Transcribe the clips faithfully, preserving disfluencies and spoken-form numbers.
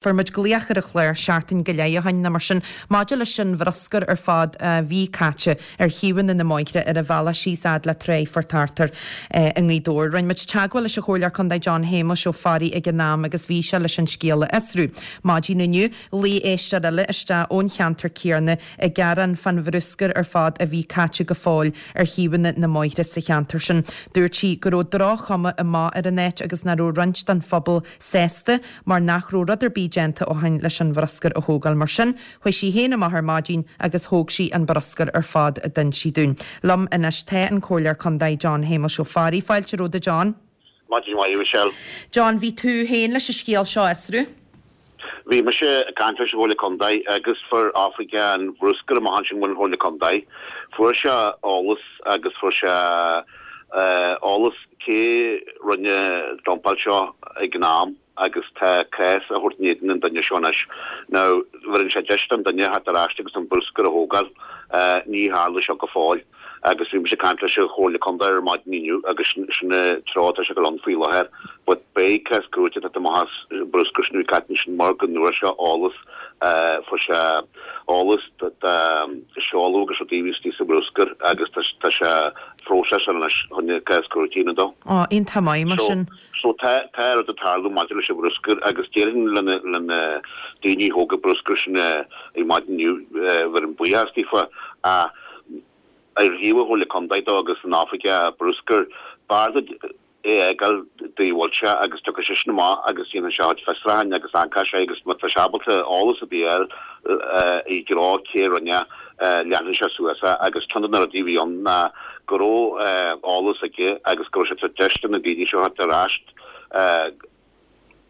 Fuair muid glaoch ar an chlár seachtain go leith ó shin nó mar sin maidir leis an bhruscar ar fad a bhí caite ar thaobhanna na mbóithre ar an bhealach síos fhad le Tráigh Phort Arthur i nGaoth Dobhair. Rinne muid teagmháil leis an Chomhairleoir Contae John Shéamuis Ó Fearraigh ag an am agus bhí sé leis an scéal a fhiosrú. Maidin inniu, ghlaoigh éisteoir eile isteach ón cheantar céanna ag gearán fán bhruscar ar fad a bhí caite go fóill ar thaobhanna na mbóithre sa cheantar sin. Dúirt sí go raibh droch-chuma amach ar an áit agus nach raibh roinnt den phobal sásta mar nach raibh rud ar bith déanta ó shin leis an bhruscar a thógáil. Mar sin, chuaigh sí féin amach ar maidin agus thóg sí an bruscar ar fad, a d'inis sí dúinn. Liom anois tá an Comhairleoir Contae John Shéamuis Ó Fearraigh. Fáilte romhat, John. Maidin mhaith, Michelle. John, bhí tú féin leis an scéal seo a fhiosrú? Bhí mise ag caint leis an Chomhairle Contae agus fuair oifigeach an bhruscair amach ansin ón Chomhairle Contae. Fuair sé eolas agus fuair sé eolas cé rinne dumpáil seo ag an am agus tá cás á thabhairt in éadan an duine seo anois. Now, bheireann sé deis don duine theacht ar ais agus an bruscar a thógáil. Ní tharla seo go fóill. Agus bhí mise ag caint leis an Chomhairle Contae ar maidin inniu agus sin an treo atá sé ag dul ann faoi láthair. But beidh cás cúirte ag teacht amach as bruscar sin a bhí caite ansin mar go ndúirt sé eolas, fuair sé eolas de seoladh agus rudaí a bhí istigh sa bhruscar agus tá sé phróiseas anois chun cás cúirte a dhéanamh dó. Ó, iontach maith mar sin. So tá tá rud ag tarlú maidir leis an bhruscar agus déarfainn le na le na daoine a thóg an bruscar sin ar maidin inniu bheirim buíochas daofa ach ar thaobh an Chomhairle Contae dó agus an oifigeach bruscair b'fhearr duit é a fhágáil dóigh a bhfuil sé agus tiocfaidh seisean amach agus déanfaidh sé a chuid fiosrúcháin agus amharcfaidh sé agus má tá sé ábalta eolas ar bith a fháil i dtreo cé a rinne leanfaidh sé suas é agus ceann de na rudaí a bhí ann ná go raibh eolas aige agus go raibh sé ag tabhairt deis do na daoine seo theacht ar ais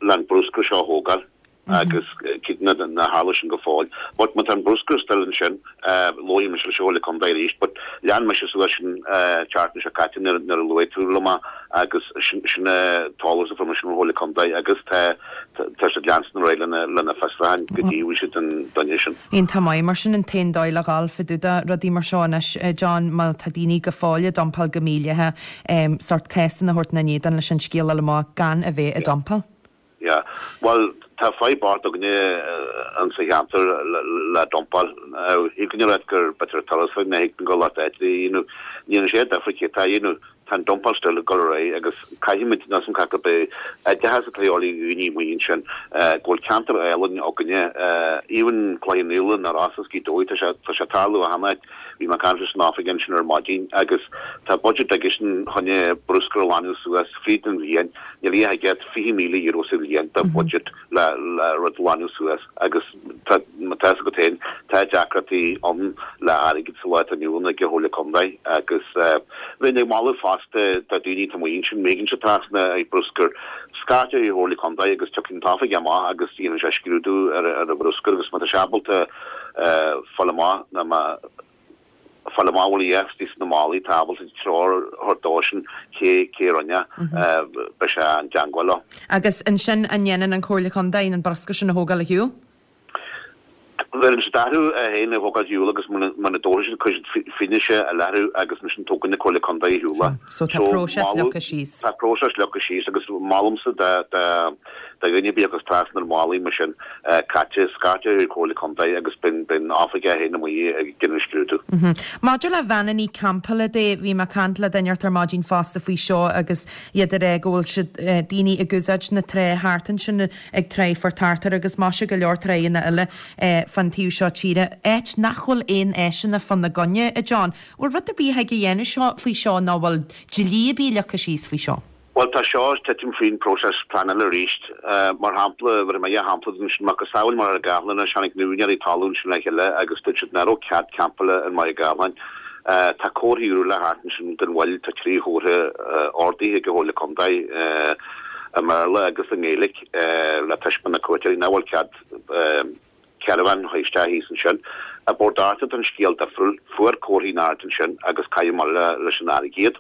le an bruscar seo a thógáil agus cad nár tharla sin go fóill. But má tá an bruscar still ansin, labharfaidh mise leis an Chomhairle Contae arís, but lean mise suas sin tseachtain seo caite nuair a luaigh tú liom é agus sin sin an t-eolas a fuair mise ón Chomhairle Contae agus tá tá siad leanstan ar aghaidh lena lena fiosrúcháin go dtí bhfuil siad an duine sin. Iontach maith, mar sin an t-aon dóigh le dhul fá dtaobh de rudaí mar seo anois, John, má tá daoine go fóill ag dumpáil go mídhleathach, sórt cásanna a thabhairt ina n-éadan leis an scéal a fháil amach gan a bheith ag dumpáil. Yeah. Bhuel, tá fadhb bocht againne insa cheantar le dumpáil. Thig linn a rá gur b'fhéidir turas ná thig linn dul áit a dhéanamh. Ní dhéanann sé difear cé atá a dhéanamh. Tá an dumpáil still ag dul ar aghaidh agus caithfimid, níl a fhios agam cad é oideachas atá de dhíobháil ar dhaoine amuigh ansin, go bhfuil ceantar álainn againne, even Cloich Cheann Fhaola, na Rosa is Gaoth Dobhair, tá sé, tá sé ag tarlú achan áit. Bhí mé ag caint leis an oifig ansin ar maidin agus tá budget aigesean chun bruscar a ghlanadh suas fríd an bhliain. Níl a fhios agat, fiche míle euro sa bhliain de budget le le rud a ghlanadh suas agus tá má tá fhios agat féin, tá deacrachtaí ann le airgead sa lá atá inniu ann ag an Chomhairle Contae agus bheinn ag moladh fosta do daoine atá amuigh ansin, má thagann siad trasna ar bruscar, scairt ar an Chomhairle Contae agus tiocfaidh an t-oifigeach amach agus déanfaidh sé scrúdú ar ar an bhruscar agus má tá sé ábalta fáil amach ná má fáil amach bhfuil a dhath istigh sna málaí, tá ábalta treoir a thabhairt dósan cé cé a rinne, beidh sé i dteangmháil leo. Agus ansin an ndéanann an Chomhairle Contae an bruscar sin a thógáil ar shiúl? Bheireann siad orthu é féin a thógáil ar shiúl agus muna dtógfaidh siad cuirfidh siad fianaise i láthair agus ansin tógann an Chomhairle Contae ar shiúl é. So tá próiseas leagtha síos. Tá próiseas leagtha síos agus molaimse do do dhuine ar bith a thiocfas trasna ar mhálaí mar sin caite, scairt ar an Chomhairle Contae agus bíonn an oifigeach féin amuigh ag déanamh scrúdú. Maidir le veaineannaí campála de, bhí mé ag caint le duine inteacht ar maidin fosta faoi seo agus iad ag rá go bhfuil siad, daoine ag úsáid na trá thart ansin ag Tráigh Phort Arthur agus maise go leor tráigheanna eile fán taobh seo tíre, áit nach bhfuil aon áiseanna fána gcoinne, a John. Bhfuil rud ar bith a thig a dhéanamh seo faoi seo nó bhfuil dlí ar bith leagtha síos faoi seo? Bhuel, tá seo ag titim faoin próiseas pleanála arís. Mar shampla, bhéarfaidh mé dhá shampla duit ansin, macasamhail Machaire Gathlán anois, tháinig na úinéirí talún sin le chéile agus dúirt siad nach raibh cead campála i Machaire Gathlán. Tá comharthaí úra le theacht ansin gan mhoill, tá trí chomhartha ordaithe ag an Chomhairle Contae, i mBéarla agus i nGaeilge, le taispeáint na cuairteoirí nach bhfuil cead caravan a chur isteach thíos ansin. I bPort Arthur tá an scéal difriúil, fuair comharthaí in airde ansin agus caitheadh amach leis an fharraige iad.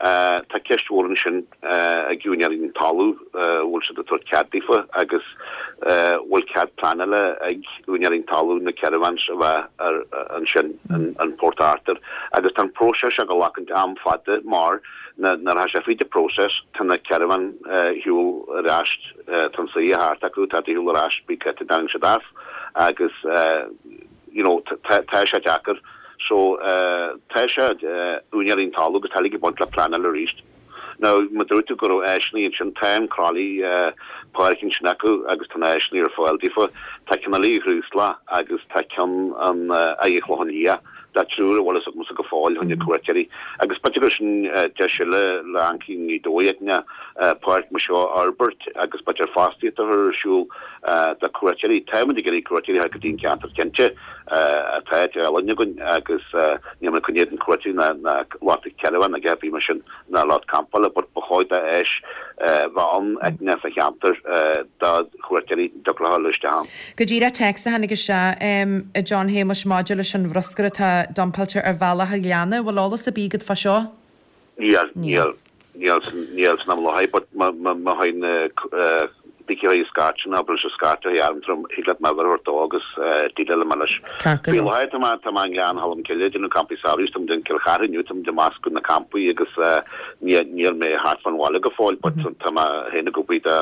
Tá ceist mhór ansin ag úinéirí an talamh, bhfuil siad ag tabhairt cead daofa agus bhfuil cead pleanála ag úinéirí an talamh na caravans a bheith ansin in Port Arthur. Agus tá an próiseas seo ag glacaint am fada mar nuair atá sé fríd an próiseas tá na caravan ar shiúl ar ais, tá an saoire thart acu, tá ar shiúl ar ais, bí creitte dtarraing siad as agus you know tá sé deacair. So tá sé úinéirí an talamh agus tá ag baint le pleanáil arís. Now má dúirt tú go raibh áiseanna ansin, tá an Crolly páirc ansin acu agus tá na áiseanna ar fáil daofa. Tá ceann eile i gCrúsla agus tá ceann an Aghaidh Chlochán Liath. Tá triúr a bhfuil fhios agamsa go fóill choinne cuairteoirí. Agus b'fhéidir gur sin deis eile le Ancaí Ghaoth Dobhair páirc mar seo a fhorbairt agus b'fhéidir fostaíocht a chur ar siúl do cuairteoirí. Táimid ag iarraidh cuairteoirí a thabhairt go dtí an ceantar cinnte. Tá áit álainn againn agus níl muid ag coinne na cuairteoirí ná ná lucht caravan ag bhí mar sin ná lucht campála but ba chóir d'áis bheith ann eicne sa cheantar do chuairteoirí dtiocfadh leo dul isteach ann. Go díreach téacs a tháinig isteach a John Shéamuis maidir leis an bhruscar atá dumpáilte ar bhealach an Ghleanna. Bhfuil eolas ar bith agat fá seo? Níl, níl, níl níl san am láthair but má má théann bící a scairt ná bhfuil sé scairte a arm thig leat m'uimhir a thabhairt dó agus déileáil mé leis. Ceart go Faoi leor. láthair tá mé tá mé i nGleann Cholm Cille ag déanamh campaí samhraidh, tá muid in Cill Chartha inniu, tá muid ag meascadh na campaí agus níl níl mé thart fán bhaile go fóill but tá mé féin ag obair do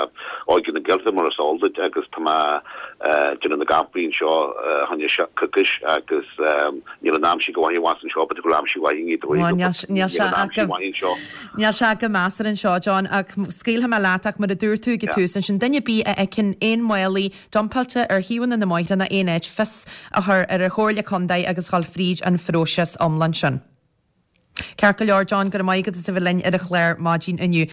Óige na Gaeltachta mar is eol duit agus tá mé déanamh na gcampaí anseo choinne coicís agus níl an aimsir go mhaith abhus anseo but go bhfuil aimsir mhaith i nGaoth Dobhair Bhuel, níl but níl níl sé an aimsir ach mhaith anseo. Níl sé go measartha anseo John ach scaoilfidh mé leat ach mar a dúirt tú ag an Yeah. tús ansin duine ar bith a fheiceann aon mhálaí dumpáilte ar thaobhanna na mbóithre ná aon áit fios a chur ar an Chomhairle Contae agus dhul fríd an phróiseas iomlán sin. Ceart go leor John go raibh maith agat as a bheith linn ar an chlár maidin inniu.